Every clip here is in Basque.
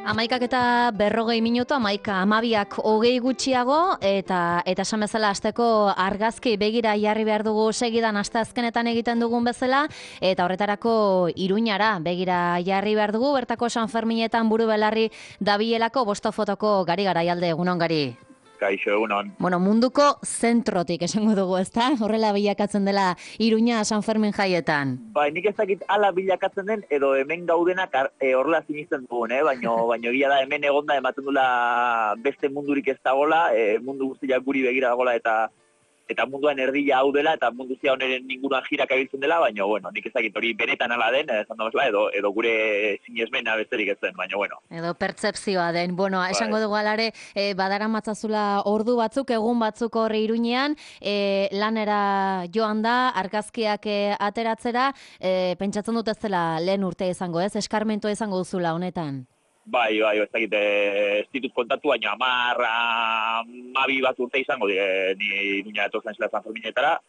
11:40, 11:12 gutxiago, eta esan bezala hasteko argazki begira jarri behar dugu segidan asteazkenetan egiten dugun bezala, eta horretarako Iruñara begira jarri behar dugu, bertako San Ferminetan buru belarri dabielako bosto fotoko Gari Garaialde, egunon Gari. Kaixo, egunon. Bueno, munduko zentrotik esango dugu, ezta? Horrela bilakatzen dela Iruña San Fermin jaietan. Bai, nik ez dakit ala bilakatzen den, edo hemen gaudenak horrela sinisten dugun, baino egia da hemen egonda ematen dula beste mundurik ez dagola, mundu guztiak guri begira dagola eta munduan erdila hau dela, eta mundu zia honeren inguruan jirak abiltzen dela, baina, bueno, nik ez dakit hori benetan ala den, esan da edo gure sinesmena besterik ez den, baina, bueno. Edo pertzepzioa den. Bueno, esango dugu alare, badara matzazula ordu batzuk, egun batzuk horre Iruñean, lanera joan da, argazkiak ateratzera, pentsatzen dut ez dela lehen urte izango, ez? Eskarmentua izango duzula honetan. Bai, ez dakit, ez ditut kontatu, baina 12 bat urte izango ni Iruña etortzen zela San Ferminetara,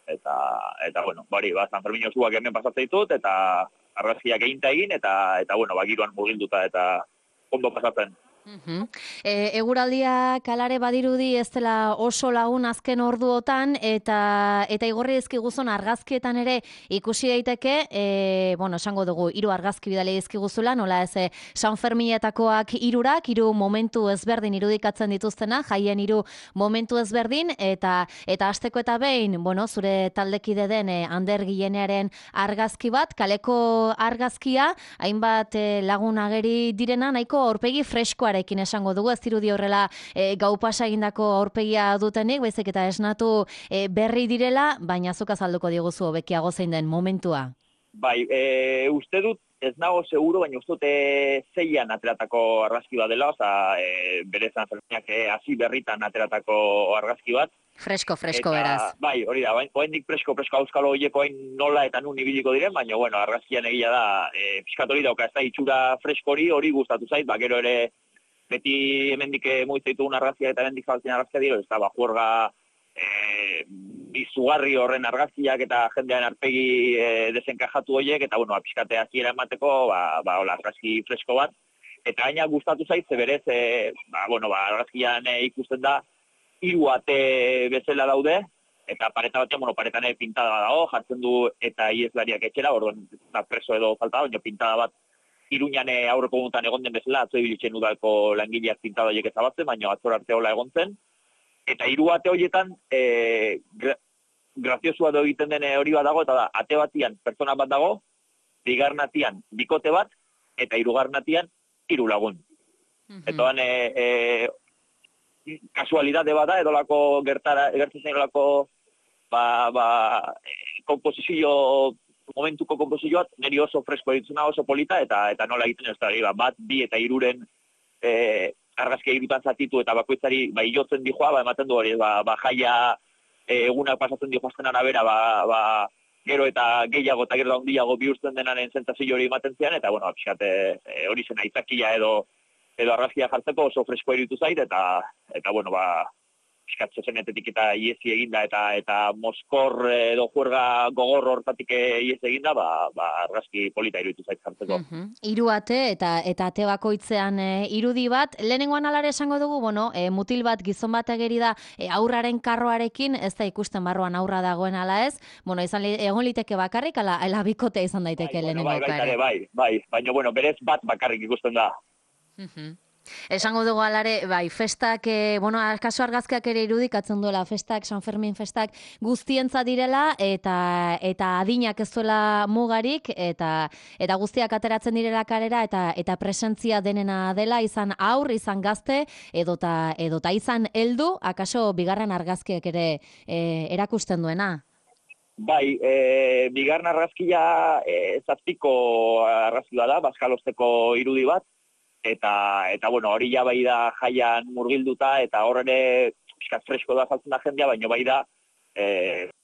eta bueno, San Fermin osuak hemen pasatzen ditut, eta argazkiak egin, eta bueno, giroan murgilduta eta ondo pasatzen. Eguraldia kalare badirudi ez dela oso lagun azken orduotan, eta igorri dizkiguzun argazkietan ere ikusi daiteke, esango dugu, 3 argazki bidali dizkiguzula, nola ez San Ferminetakoak 3 momentu ezberdin irudikatzen dituztena, jaien 3 momentu ezberdin, eta hasteko eta behin, zure taldekide den Ander Gilenearen argazki bat, kaleko argazkia, hainbat lagun ageri direna, nahiko aurpegi freskoare esango dugu, ez dirudi horrela gau pasa egindako aurpegia dutenik, baizik eta esnatu berri direla, baina zuk azalduko diguzu hobekiago zein den momentua. Bai, uste dut, ez nago seguro, baina uste dut 6an ateratako argazki bat dela, bere San Ferminak hasi berritan ateratako argazki bat. Fresko, beraz. Bai, hori da, oendik fresko auskalo horieko hain nola eta nun ibiliko diren, baina, argazkian egia da, pixkat hori dauka, ez da, itxura fresko hori gustatu zait, gero ere, beti hemendik mugitzen ditugun argazkiak eta hemendik zabaltzen argazkiak dira, ez da, juerga izugarri horren argazkiak eta jendean arpegi desenkajatu horiek, eta, pixkate hasiera emateko, argazki fresko bat, eta gaina gustatu zait, ze berez, argazkian ikusten da, 3 ate bezala daude, eta pareta batean, paretan pintada dago, jartzen du eta ieslariak etxera, orduan, preso edo falta, baina pintada bat, Iruñan aurreko egunetan egon den bezala, atzo ibilitzen udalko langileak pintada horiek ezabatzen, baina atzor arte hola egon zen. Eta 3 ate horietan, graziosua do egiten den hori bat dago, eta da, ate batian pertsona bat dago, 2. atian bikote bat, eta 3. atian 3 lagun. Eta kasualidade bada, edolako gertzen zen edolako komposizio momentuko komposizioat, niri oso fresko ditzuna, oso polita, eta nola egiten ez da, bat, 2 eta 3 argazkia egiten zatitu, eta bakoitzari jotzen dijoa, ematen du hori, jaia egunak pasatzen dijoazten arabera, gero eta gehiago eta gero handiago bihurtzen denaren sentsazio hori ematen zian, eta, pixkat, hori zen aitzakia edo argazkia jartzeko oso fresko eritu zait, eta pixkat zezenetetik eta iesi eginda, eta moskor edo juerga gogor hortatik iesi eginda, argazki polita iruditu zait jartzeko. 3 ate eta ate bakoitzean irudi bat. Lehenengoan alare esango dugu, mutil bat, gizon bat ageri da aurraren karroarekin, ez da ikusten barruan aurra dagoen ala ez, egon liteke bakarrik, ala bikotea izan daiteke lehenengo ere. Bai, baina berez bat bakarrik ikusten da. Esango dugu alare, festak, kaso argazkiak ere irudikatzen duela, festak, San Fermin festak guztientza direla, eta adinak ez duela mugarik, eta guztiak ateratzen direla kalera, eta presentzia denena dela, izan aur, izan gazte, edota izan heldu, akaso 2. argazkiak ere erakusten duena? Bai, 2. argazkia 7 argazkia da, bazkalosteko irudi bat, eta hori ja bai da jaian murgilduta, eta horre pixkat fresko da saltzen da jendea, baina bai da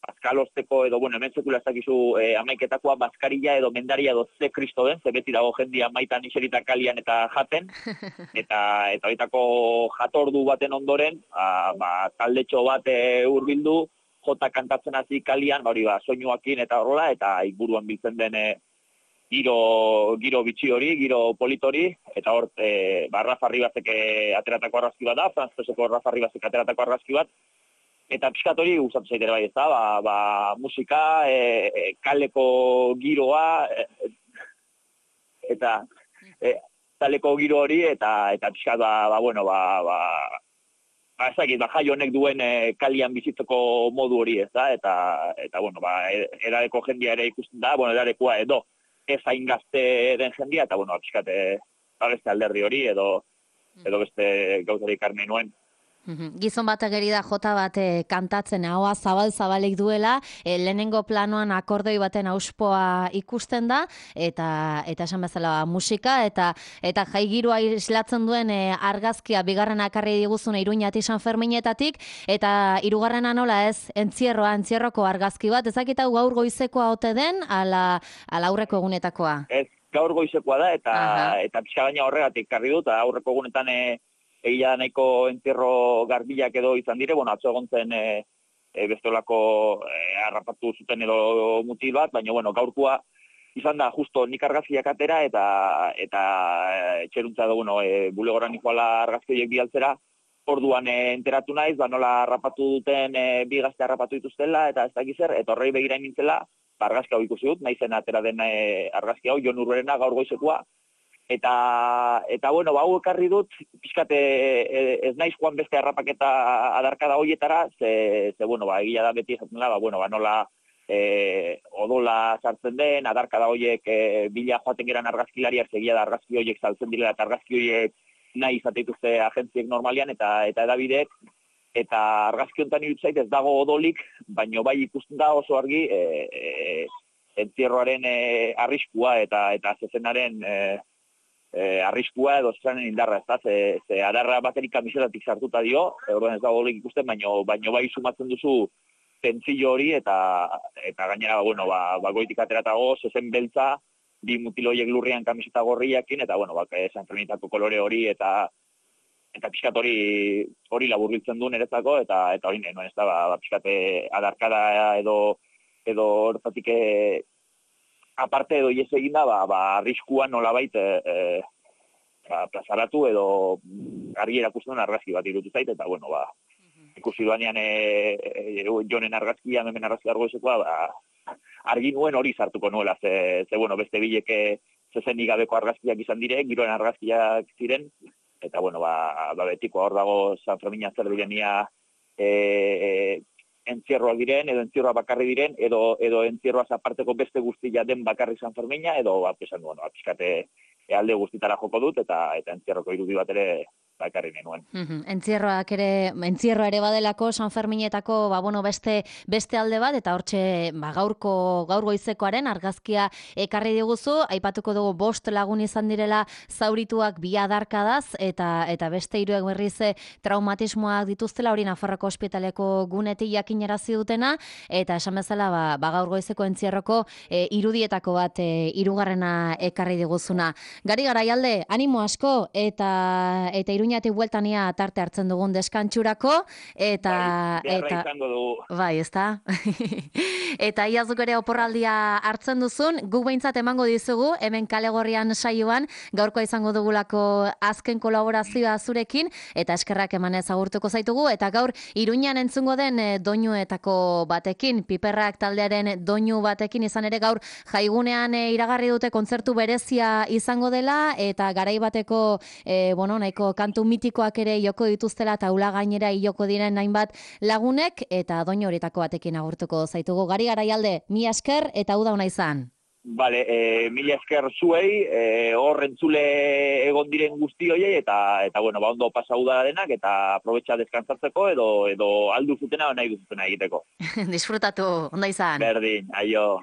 bazkalosteko edo, hemen sekula ez dakizu amaiketakoa bazkarilla edo mendaria edo ze kristo den, ze beti dago jendia maitan iserita kalian eta jaten, eta baitako jatordu baten ondoren, taldetxo bat hurbildu, jota kantatzen hasi kalian, soinuakin eta horrela, eta inguruan biltzen den giro bitxi hori, giro politori, eta hor, Rafa Ribasek ateratako argazki bat da, frantzeseko Rafa Ribasek ateratako argazki bat, eta pixkat hori gustatu zaitera bai ez da, musika, kaleko giroa, eta kaleko giro hori, eta pixkat, ezakit, jai honek duen kalian bizitzeko modu hori ez da, eta bueno, erareko jendia ere ikusten da, erarekoa edo, ez hain gazte den jendia, eta bueno, pixkat, beste alderdi hori, edo beste gauzarik armen nuen. Gizon bat ageri da jota bat kantatzen, ahoa zabal-zabalik duela, lehenengo planoan akordoi baten auspoa ikusten da, eta esan bezala musika, eta jai giroa islatzen duen argazkia bigarrena ekarri diguzun Iruñati San Ferminetatik, eta hirugarrena nola ez, entzierroko argazki bat, ezakita gaur goizekoa ote den, ala aurreko egunetakoa? Ez, gaur goizekoa da, eta pixka baina horregatik karri dut, aurreko egunetan egia nahiko entzierro garbilak edo izan dire, atzo egon zen bestolako harrapatu zuten edo mutil bat, baina gaurkoa izan da justo nik argazkiak atera eta etxeruntza dugu bulegoran ikuala argazki horiek bialtzera, orduan enteratu naiz, nola harrapatu duten bi gazte harrapatu dituztela eta ez dakiz zer, eta horrei begira nintzela, argazki hau ikusi dut, naizen atera den argazki hau, Jon Urberena gaur goizekoa, eta hau ekarri dut, pixkat ez naiz joan beste harrapaketa adarkada horietara, ze egia da beti esaten da, nola odola sartzen den, adarkada horiek bila joaten geran argazkilariak, egia da argazki horiek saltzen direla, eta argazki horiek nahi izateituzte agentziek normalian, eta edabideek, eta argazki honetan irutzait ez dago odolik, baino bai ikusten da oso argi entzierroaren arriskua eta zezenaren arriskua edo zezanen indarra, ez da, ze adarra baterik kamisetatik sartuta dio, orduan ez dago odolik ikusten, baino bai sumatzen duzu tentzillo hori, eta gainera, goitik ateratago, zezen beltza, bi mutiloiek lurrian kamiseta gorriakin, eta, San Ferminetako kolore hori, eta pixkat hori laburbiltzen du niretzako, eta hori nuen, ez da, pixkat adarkada edo hortatik aparte edo ies egin da, arriskuan nolabait plazaratu edo argi erakusten argazki bat irutu zait, eta, ikusi duanean Jonen argazkia, hemen argazki argoizekoa, argi nuen hori sartuko nuela, ze beste bileke zezenik gabeko argazkiak izan dire, giroen argazkiak ziren, eta, betikoa hor dago San Fermina zer direnia entzierroak diren, edo entzierroa bakarri diren, edo entzierroaz aparteko beste guztia den bakarri San Fermina, edo, esan duen, pixkate alde guztitara joko dut, eta entzierroko irudi bat ere bakarri nenuen. Entzierroa ere badelako San Ferminetako beste alde bat, eta hortxe gaur goizekoaren argazkia ekarri diguzu, aipatuko dugu 5 lagun izan direla zaurituak bi adarkadaz, eta beste 3 berriz traumatismoak dituztela, hori Nafarroko ospitaleko gunetik jakinarazi dutena, eta esan bezala gaur goizeko entzierroko irudietako bat hirugarrena ekarri diguzuna. Gari Garaialde, animo asko, eta Iruñatik bueltania tarte hartzen dugun deskantxurako, eta izango dugu. Bai, ezta? Eta iazuk ere oporraldia hartzen duzun, guk behintzat emango dizugu, hemen Kale Gorrian saioan, gaurkoa izango dugulako azken kolaborazioa zurekin, eta eskerrak emanez agurtuko zaitugu, eta gaur Iruñan entzungo den doinuetako batekin, Piperrak taldearen doinu batekin izan ere gaur jaigunean iragarri dute kontzertu berezia izango dela, eta garai bateko nahiko kantu mitikoak ere joko dituztela, taula gainera joko diren hainbat lagunek, eta doinu horietako batekin agurtuko zaitugu. Gari Garaialde, mila esker eta uda ona izan. Bale, mila esker zuei, hor entzule egon diren guzti hoiei, eta ondo pasa uda denak, eta aprobetxa deskantzatzeko, edo aldu zutena, nahi duzutena egiteko. Disfrutatu, onda izan. Berdin, aio.